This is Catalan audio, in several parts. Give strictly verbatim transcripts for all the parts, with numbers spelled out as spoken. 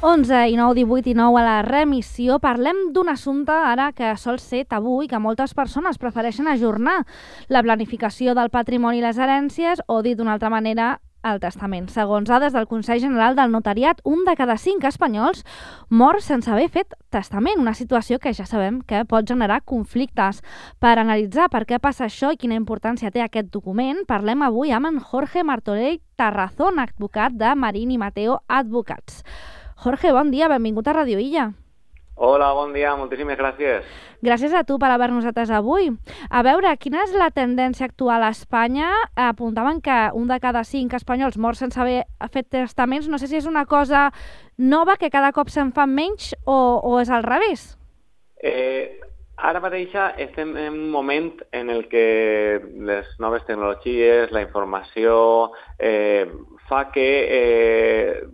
onze i nou, divuit i nou a la remissió. Parlem d'un assumpte ara que sol ser tabú i que moltes persones prefereixen ajornar: la planificació del patrimoni i les herències, o dit d'una altra manera, el testament. Segons dades del Consell General del Notariat, un de cada cinc espanyols mor sense haver fet testament, una situació que ja sabem que pot generar conflictes. Per analitzar per què passa això i quina importància té aquest document, parlem avui amb en Jorge Martorell Tarrazón, advocat de Marín i Mateo Advocats. Jorge, bon dia, benvingut a Radio Illa. Hola, bon dia, moltíssimes gràcies. Gràcies a tu per haver-nos atès avui. A veure, quina és la tendència actual a Espanya? Apuntaven que un de cada cinc espanyols mor sense haver fet testaments. No sé si és una cosa nova, que cada cop se'n fan menys, o, o és al revés. Eh, ara mateix estem en un moment en el que les noves tecnologies, la informació, eh, fa que eh,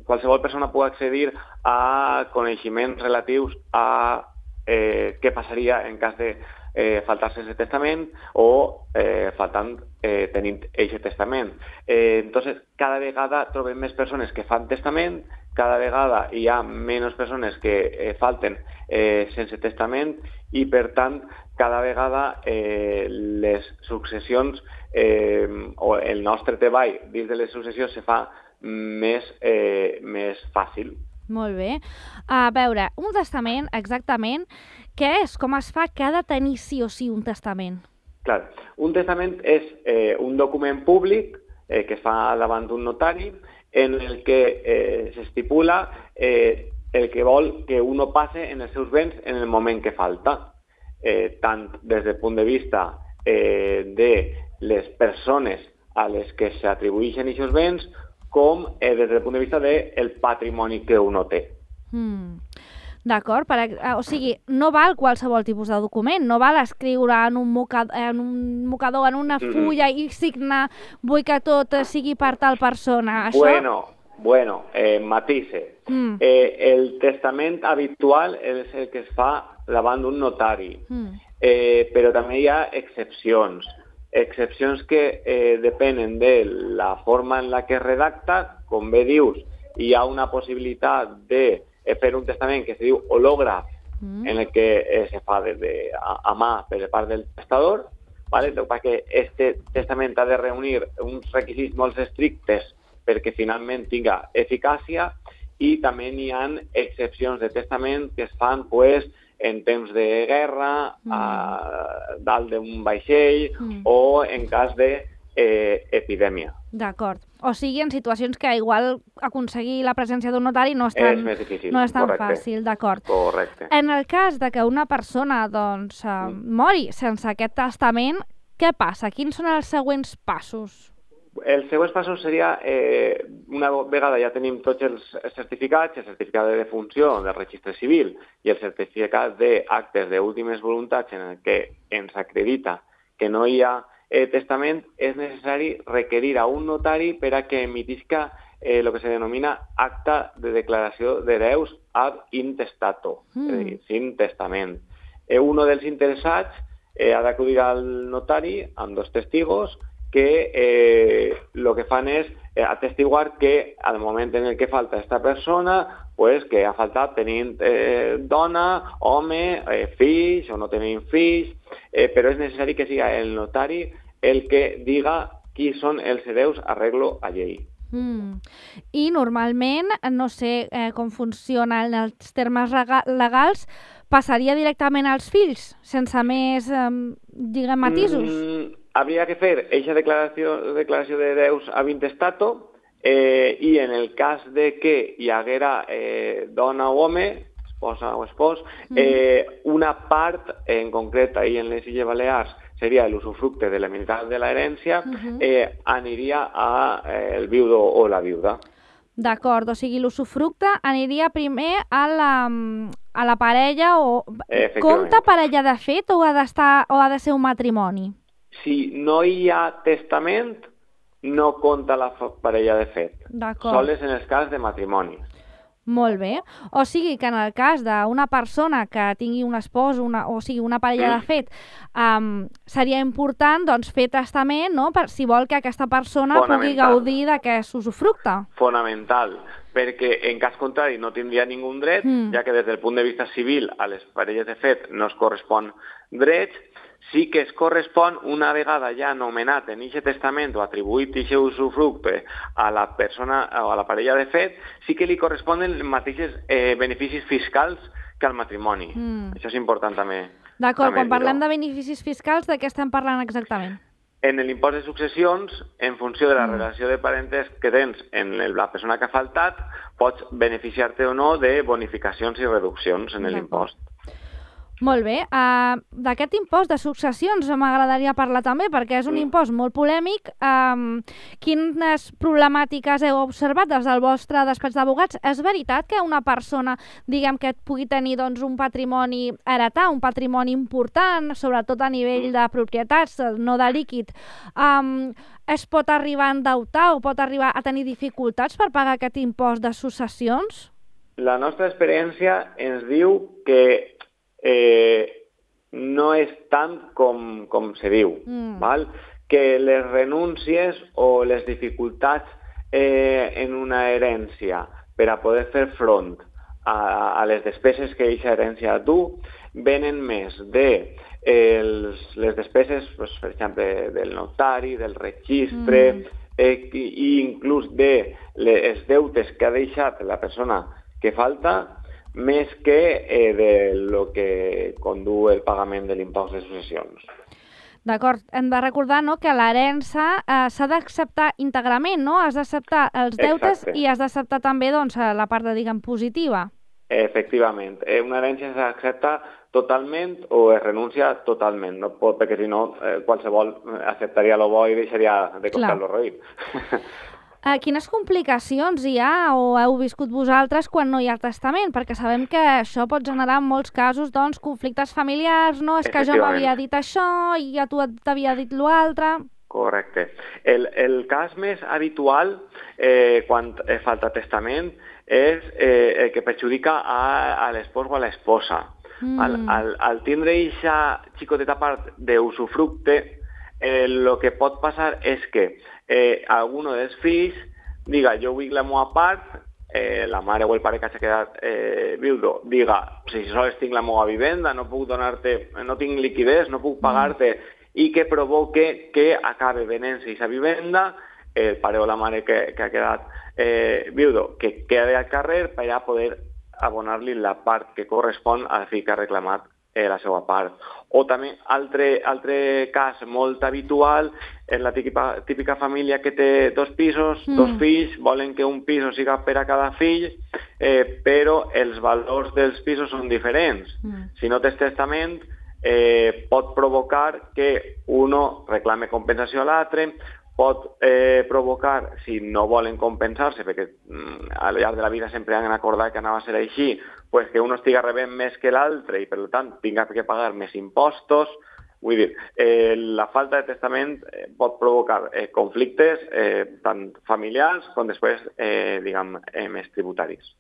qualsevol persona pugui accedir a coneixements relatius a eh, què passaria en cas de eh, faltar-se aquest testament o eh, faltant eh, tenint aquest testament. Eh, entonces, cada vegada trobem més persones que fan testament, cada vegada hi ha menys persones que eh, falten eh, sense testament i, per tant, cada vegada eh, les successions eh, o el nostre treball dins de les successions se fa més, eh, més fàcil. Molt bé. A veure, un testament, exactament, què és? Com es fa? Que ha de tenir sí o sí un testament? Clar, un testament és eh, un document públic eh, que es fa davant d'un notari en el que eh, s'estipula eh, el que vol que uno passe en els seus béns en el moment que falta, eh, tant des del punt de vista eh, de les persones a les que s'atribueixen aquests béns, com eh, des del punt de vista del patrimoni que uno té. Mm. D'acord, o sigui, no val qualsevol tipus de document, no val escriure en un mocador, en, un mocador, en una fulla mm-hmm. i signar vull que tot sigui per tal persona. Això... Bueno, bueno, eh, matisse. Mm. Eh, el testament habitual és el que es fa davant d'un notari, mm. eh, però també hi ha excepcions. Excepcions que eh, depenen de la forma en la que es redacta. Com bé dius, hi ha una possibilitat de fer un testament que se diu hològraf, mm. en el que eh, se fa de, de, a, a mà per part del testador, ¿vale? Perquè este testament ha de reunir uns requisits molt estrictes perquè finalment tinga eficàcia, i també hi ha excepcions de testament que es fan pues, en temps de guerra, mm. a dalt d'un vaixell mm. o en cas d'epidèmia. Eh, D'acord. O sigui, en situacions que igual aconseguir la presència d'un notari no és tan, és més difícil, no és tan correcte. fàcil, d'acord. Correcte. En el cas de que una persona doncs, mm. mori sense aquest testament, què passa? Quins són els següents passos? Els següents passos seria, eh, una vegada ja tenim tots els certificats, el certificat de defunció del registre civil i el certificat d'actes d'últimes voluntats en el que ens acredita que no hi ha eh, testament, és necessari requerir a un notari per a que emitisca eh, el que se denomina acta de declaració d'hereus ad intestato, mm. és a dir, sin testament. Eh, un dels interessats eh, ha d'acudir al notari amb dos testigos que eh, lo que fan és eh, atestiguar que al moment en el que falta esta persona, pues que ha faltat tenint eh, dona, home, eh, fills o no tenint fills, eh, però és necessari que siga el notari el que diga qui són els hereus arreglo a llei. Mm. I normalment, no sé eh, com funcionen els termes legals, passaria directament als fills, sense més, eh, diguem, matisos? Mm, habría que fer eixa declaració, declaració d'hereus ab intestato eh, i en el cas de que hi haguera eh, dona o home, esposa o espòs, eh, una part en concret ahí en les Illes Balears seria l'usufructe de la meitat de l'herència, uh-huh. eh, aniria a eh, el viudo o la viuda. D'acord, o sigui, l'usufructe aniria primer a la, a la parella o... Compta parella de fet o ha d'estar o ha de ser un matrimoni? Si no hi ha testament, no compta la parella de fet. D'acord. Sols en els cas de matrimoni. Molt bé. O sigui que en el cas d'una persona que tingui un espòs, una, o sigui, una parella de fet, um, seria important doncs, fer testament, no?, per si vol que aquesta persona pugui gaudir d'aquest usufructe. Fonamental, perquè en cas contrari no tindria ningú dret, mm. ja que des del punt de vista civil a les parelles de fet no es correspon drets, sí que es correspon una vegada ja anomenat en aquest testament o atribuït aquest usufructe a la persona o a la parella de fet, sí que li corresponen els mateixos eh, beneficis fiscals que al matrimoni. Mm. Això és important també. D'acord, quan parlem de beneficis fiscals, de què estem parlant exactament? En l'impost de successions, en funció de la mm. relació de parentesc que tens en la persona que ha faltat, pots beneficiar-te o no de bonificacions i reduccions en l'impost. Molt bé. Uh, D'aquest impost de successions m'agradaria parlar també, perquè és un mm. impost molt polèmic. Um, quines problemàtiques heu observat des del vostre despatx d'advocats? És veritat que una persona, diguem, que pugui tenir doncs, un patrimoni, heretar un patrimoni important, sobretot a nivell de propietats, no de líquid, um, es pot arribar a endeutar o pot arribar a tenir dificultats per pagar aquest impost de successions? La nostra experiència ens diu que Eh, no és tant com, com se diu, mm. val? Que les renúncies o les dificultats eh, en una herència per a poder fer front a, a les despeses que aquesta herència du venen més de eh, els, les despeses, pues, per exemple, del notari, del registre, mm. eh, i, i inclús de les deutes que ha deixat la persona que falta, més que eh, de lo que condu el pagament de l'impost de successions. D'acord. Hem de recordar, no?, que l'herència eh, s'ha d'acceptar íntegrament, no? Has d'acceptar els deutes. Exacte. I has d'acceptar també doncs, la part, de, diguem, positiva. Efectivament. Eh, una herència s'accepta totalment o es renuncia totalment, no pot, perquè si no eh, qualsevol acceptaria lo bo i deixaria de costar lo roït. Uh, quines complicacions hi ha o heu viscut vosaltres quan no hi ha testament? Perquè sabem que això pot generar en molts casos doncs, conflictes familiars, no? És que jo m'havia dit això i ja tu t'havia dit l'altre. Correcte. El, el cas més habitual eh, quan falta testament és eh, el que perjudica a, a l'espòs o a l'esposa. Mm. Al, al, al tindre aquesta xicoteta part d'usufructe, el eh, que pot passar és que eh, alguno dels fills diga jo vull la meva part, eh, la mare o el pare que s'ha quedat eh, viudo diga si sols tinc la meva vivenda, no puc donar-te, no tinc liquidez, no puc pagar-te, i que provoque que acabe venent-se aquesta vivenda, el pare o la mare que, que ha quedat eh, viudo, que quede al carrer per a poder abonar-li la part que correspon al fill que ha reclamat eh, la seva part. O també, altre, altre cas molt habitual, és la típica, típica família que té dos pisos, mm. dos fills, volen que un pis siga per a cada fill, eh, però els valors dels pisos són diferents. Mm. Si no tens testament, eh, pot provocar que uno reclame compensació a l'altre, pot eh, provocar, si no volen compensar-se, perquè mm, al llarg de la vida sempre han acordat que anava a ser així, pues que uno estiga rebent més que l'altre i, per tant, tinga que pagar més impostos. Vull dir, eh, la falta de testament eh, pot provocar eh, conflictes eh, tant familiars com després, eh, diguem, eh, més tributaris.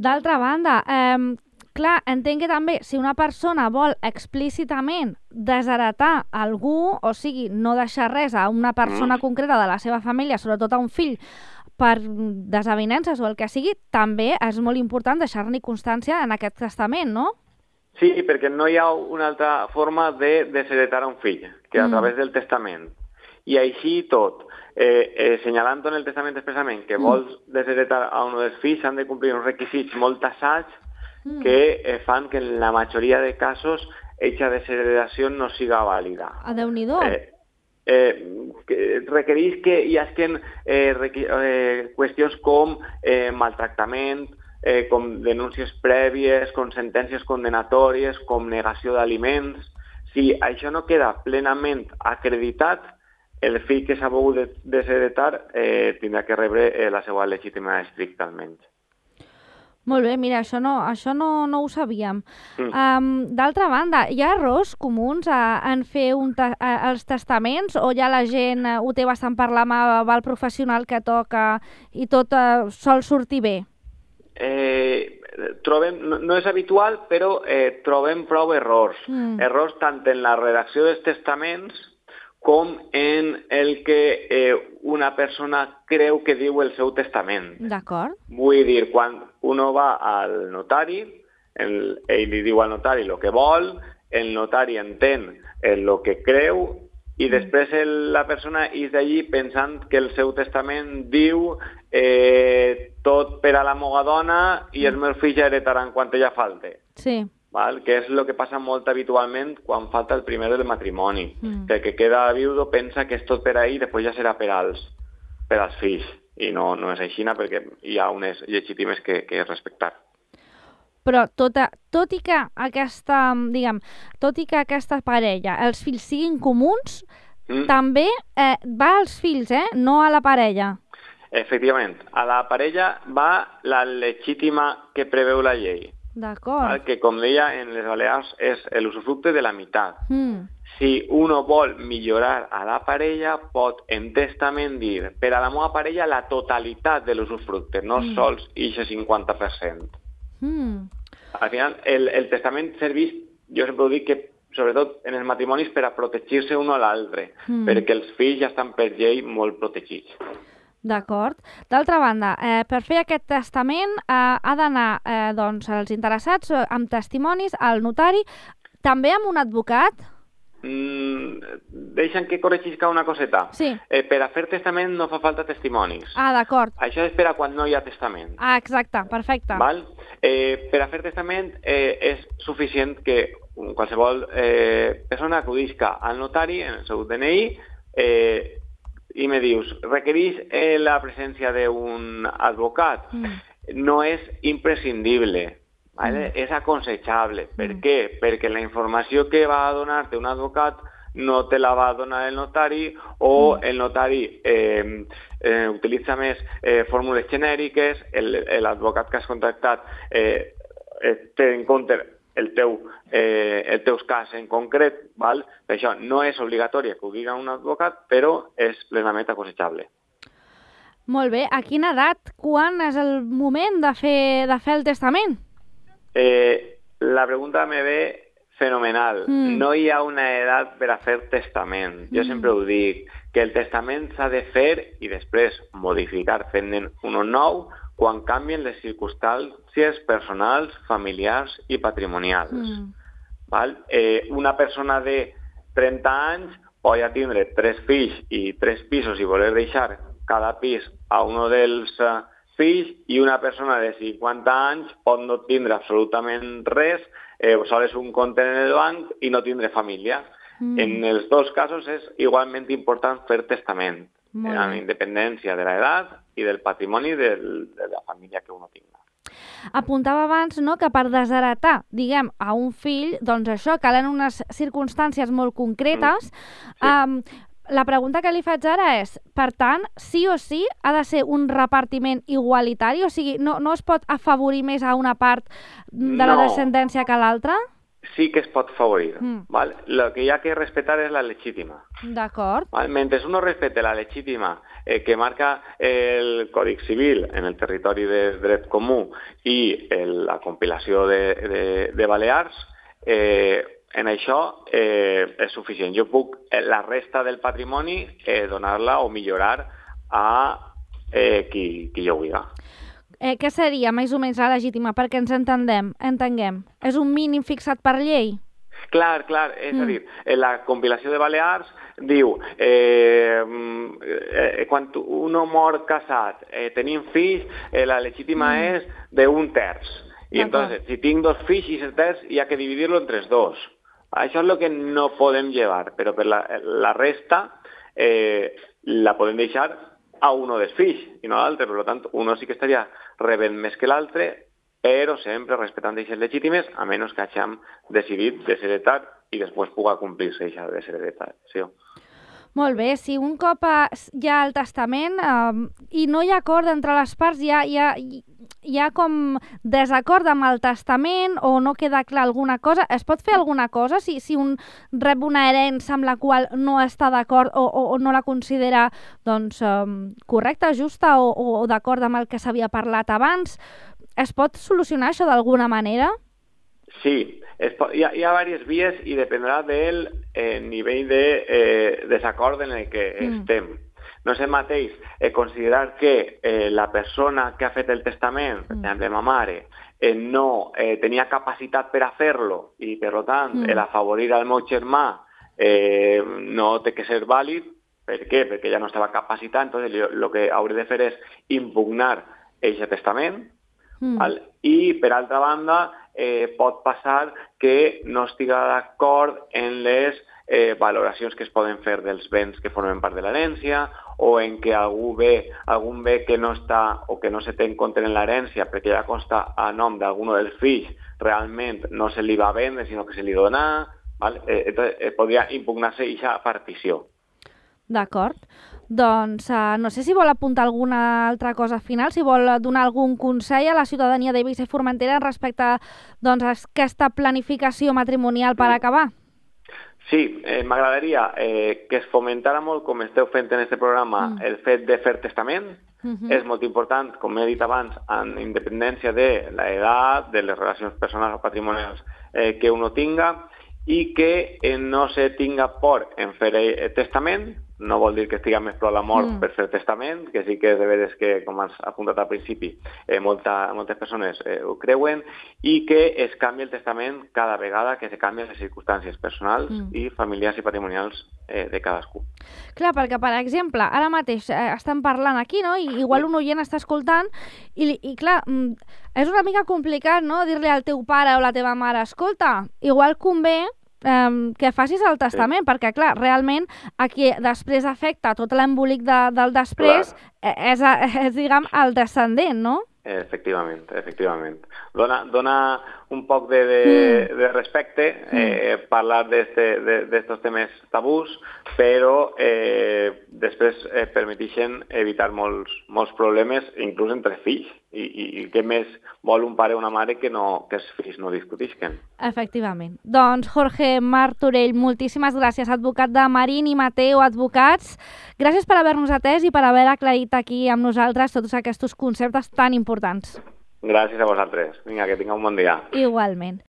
D'altra banda, eh, clar, entenc que també si una persona vol explícitament desheretar algú, o sigui, no deixar res a una persona mm. concreta de la seva família, sobretot a un fill, per desavinences o el que sigui, també és molt important deixar-ne constància en aquest testament, no? Sí, perquè no hi ha una altra forma de desheretar a un fill que a mm. través del testament. I així tot, eh, eh, senyalant en el testament expressament que mm. vols desheretar a un dels fills, s'han de complir uns requisits molt tassats mm. que eh, fan que en la majoria de casos aquesta desheredació no siga vàlida. A Déu-n'hi-do. Eh, Eh, que requereix que hi hagin eh, eh, qüestions com eh, maltractament, eh, com denúncies prèvies, com sentències condenatòries, com negació d'aliments. Si això no queda plenament acreditat, el fill que s'ha volgut desheretar eh, tindrà que rebre eh, la seva legítima estricta almenys. Molt bé, mira, això no, això no, no ho sabíem. Mm. Um, D'altra banda, hi ha errors comuns a, en fer un ta, a, els testaments o ja la gent uh, ho té bastant parlar amb, amb el professional que toca i tot uh, sol sortir bé? eh, trobem, no, no és habitual, però eh, trobem prou errors. Mm. Errors tant en la redacció dels testaments com en el que eh, una persona creu que diu el seu testament. D'acord. Vull dir, quan uno va al notari, el, ell li diu al notari el que vol, el notari entén el que creu i després el, la persona és d'allí pensant que el seu testament diu eh, tot per a la meva dona i els meus fills heretaran quan ella falte. Sí. Val? Que és el que passa molt habitualment quan falta el primer del matrimoni. Mm. Que el que queda viudo pensa que és tot per a ell i després ja serà per als, per als fills. I no, no és així, perquè hi ha unes legítimes que, que respectar. Però tot, a, tot i que aquesta, diguem, tot i que aquesta parella, els fills siguin comuns, mm. també eh, va als fills, eh? No a la parella. Efectivament. A la parella va la legítima que preveu la llei. D'acord. Que, com deia, en les Balears és l'usufructe de la meitat. Mm. Si uno vol millorar a la parella, pot en testament dir per a la meva parella la totalitat de l'usufructe, no mm. sols eixe cinquanta per cent. Mm. Al final, el, el testament serveix, jo sempre ho dic, que sobretot en els matrimonis per a protegir-se un a l'altre, mm. perquè els fills ja estan per llei molt protegits. D'acord. D'altra banda, eh, per fer aquest testament eh, ha d'anar eh, doncs, els interessats eh, amb testimonis al notari, també amb un advocat? Mm, deixa'm que corregisca una coseta. Sí. Eh, per a fer testament no fa falta testimonis. Ah, d'acord. Això és per a quan no hi ha testament. Ah, exacte, perfecte. Val? Eh, per a fer testament eh, és suficient que qualsevol eh, persona acudisca al notari en el seu D N I eh, i me dius, requereix eh, la presència d'un advocat? Mm. No és imprescindible, ¿vale? Mm. És aconsejable. Per mm. què? Perquè la informació que va a donar-te un advocat no te la va a donar el notari o mm. el notari eh, eh, utilitza més eh, fórmules genèriques, l'advocat que has contactat eh, eh, té en compte el teu, eh, el teus cas en concret, val? Per això no és obligatori acudir a un advocat, però és plenament aconsejable. Molt bé. A quina edat, quan és el moment de fer, de fer el testament? Eh, la pregunta me ve fenomenal. Mm. No hi ha una edat per a fer testament. Jo mm. sempre ho dic, que el testament s'ha de fer i després modificar fent un nou quan canvien les circumstàncies personals, familiars i patrimonials. Mm. Val? Eh, una persona de trenta anys pot ja tindre tres fills i tres pisos i voler deixar cada pis a un dels uh, fills, i una persona de cinquanta anys pot no tindre absolutament res, eh, sols un compte en el banc i no tindre família. Mm. En els dos casos és igualment important fer testament, eh, amb independència de l'edat i del patrimoni del, de la família que uno tinga. Apuntava abans, no?, que per desheretar, diguem, a un fill, doncs això, calen unes circumstàncies molt concretes. Mm. Sí. Um, la pregunta que li faig ara és, per tant, sí o sí ha de ser un repartiment igualitari? O sigui, no, no es pot afavorir més a una part de la no. descendència que a l'altra? Sí que es pot favorir. Mm. ¿Vale? Lo que hi ha que respetar és la legítima. D'acord. ¿Vale? Mentre uno respete la legítima eh, que marca el Codi Civil en el territori de dret comú i el, la compilació de, de, de Balears, eh, en això eh, és suficient. Jo puc eh, la resta del patrimoni eh, donar-la o millorar a eh, qui, qui jo vulgui. Eh, què seria més o menys la legítima? Perquè ens entendem, entenguem. És un mínim fixat per llei? Clar, clar. És mm. a dir, la compilació de Balears diu eh, eh, quan uno mor casat, eh, tenim fills, eh, la legítima mm. és d'un terç. I entonces, si tinc dos fills i set terç, hi ha que dividir-lo entre els dos. Això és el que no podem llevar, però per la, la resta eh, la podem deixar a uno dels fills i no a l'altre. Per tant, uno sí que estaria rebent més que l'altre, però sempre respectant aquestes legítimes, a menys que hagin decidit desheretar i després pugui complir-se aquesta desheretació. Molt bé, si un cop hi ha el testament eh, i no hi ha acord entre les parts, hi ha, hi ha, hi ha com desacord amb el testament o no queda clar alguna cosa, es pot fer alguna cosa si, si un rep una herència amb la qual no està d'acord o, o, o no la considera doncs, eh, correcta, justa o, o d'acord amb el que s'havia parlat abans? es pot solucionar això d'alguna manera? Sí, es pot, hi, ha, hi ha diverses vies i dependrà del eh, nivell de eh, desacord en el que mm. estem. No és el mateix eh, considerar que eh, la persona que ha fet el testament, per exemple, ma mare, eh, no eh, tenia capacitat per a fer-lo i, per tant, mm. el afavorir al meu germà eh, no té que ser vàlid. Per què? Perquè ja no estava capacitat, entonces el que hauré de fer és impugnar aquest testament, mm. val? I, per altra banda, eh, pot passar que no estiga d'acord en les eh, valoracions que es poden fer dels béns que formen part de l'herència, o en que algú bé, algun bé que no està o que no se té en compte en l'herència perquè ja consta a nom d'algun dels fills, realment no se li va vendre, sinó que se li dona, val? Eh, entonces, eh, podria impugnar-se aquesta partició. D'acord. Doncs uh, no sé si vol apuntar alguna altra cosa final, si vol donar algun consell a la ciutadania d'Eivissa i Formentera respecte a doncs, aquesta planificació matrimonial per acabar. Sí, eh, m'agradaria eh, que es fomentara molt, com esteu fent en aquest programa, mm. el fet de fer testament. Mm-hmm. És molt important, com he dit abans, en independència de l'edat, de les relacions personals o patrimonials eh, que uno tinga, i que eh, no se tinga por en fer eh, testament. No vol dir que estigui més prou la mort mm. per fer testament, que sí que és de veres que, com has apuntat al principi, eh, molta, moltes persones eh, ho creuen, i que es canvi el testament cada vegada que se canvien les circumstàncies personals mm. i familiars i patrimonials eh, de cadascú. Clar, perquè, per exemple, ara mateix eh, estem parlant aquí, no?, i igual un oient està escoltant, i, i clar, és una mica complicat, no?, dir-li al teu pare o la teva mare, escolta, igual convé Um, que facis el testament, sí. perquè, clar, realment, a qui després afecta tot l'embolic de, del després és, és, diguem, el descendent, no? Efectivament, efectivament. Dona, dona un poc de, de, mm. de respecte eh, mm. parlar d'estos temes tabús, però eh, després eh, permeteixen evitar molts, molts problemes, inclús entre fills. I, i, i què més vol un pare o una mare que, no, que els fills no discutisquen. Efectivament. Doncs Jorge Martorell, moltíssimes gràcies, advocat de Marín i Mateu Advocats. Gràcies per haver-nos atès i per haver aclarit aquí amb nosaltres tots aquests conceptes tan importants. Gràcies a vosaltres. Vinga, que tingueu un bon dia. Igualment.